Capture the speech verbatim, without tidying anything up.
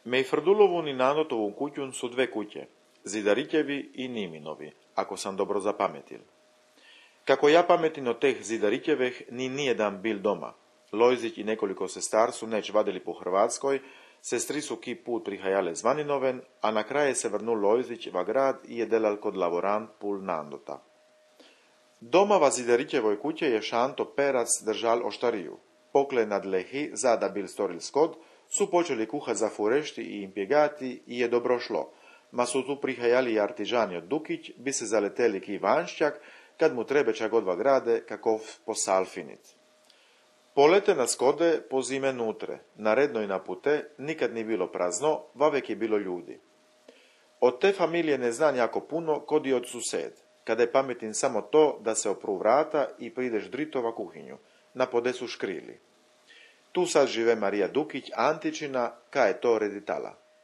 Mej Frdulovu ni Nanotovu kućun su dve kuće, Zidaritevi i Niminovi, ako sam dobro zapametil. Kako ja pametin od teh Zidaritjevih, ni nijedan bil doma. Lojzić i nekoliko sestar su neć vadili po Hrvatskoj, sestri su ki put prihajale zvaninoven, a na kraje se vrnul Lojzić va grad i je delal kod lavorant pul Nandota. Doma va Zidaritjevoj kuće je Šanto Perac držal oštariju. Pokle nad lehi, zada bil storil skod, su počeli kuhat za furešti i impjegati i je dobro šlo, ma su tu prihajali i artižani od Dukić, bi se zaleteli ki Vanšćak, kad mu trebeća godva grade, kakov posalfinit. Polete na skode, po zime nutre, na redno i na pute, nikad ni bilo prazno, vavek je bilo ljudi. Od te familije ne znam jako puno, kod i od sused, kada je pametin samo to da se opru vrata i prideš dritova kuhinju, na podesu škrili. Tu sad žive Marija Dukić, Antičina, ka je to reditala.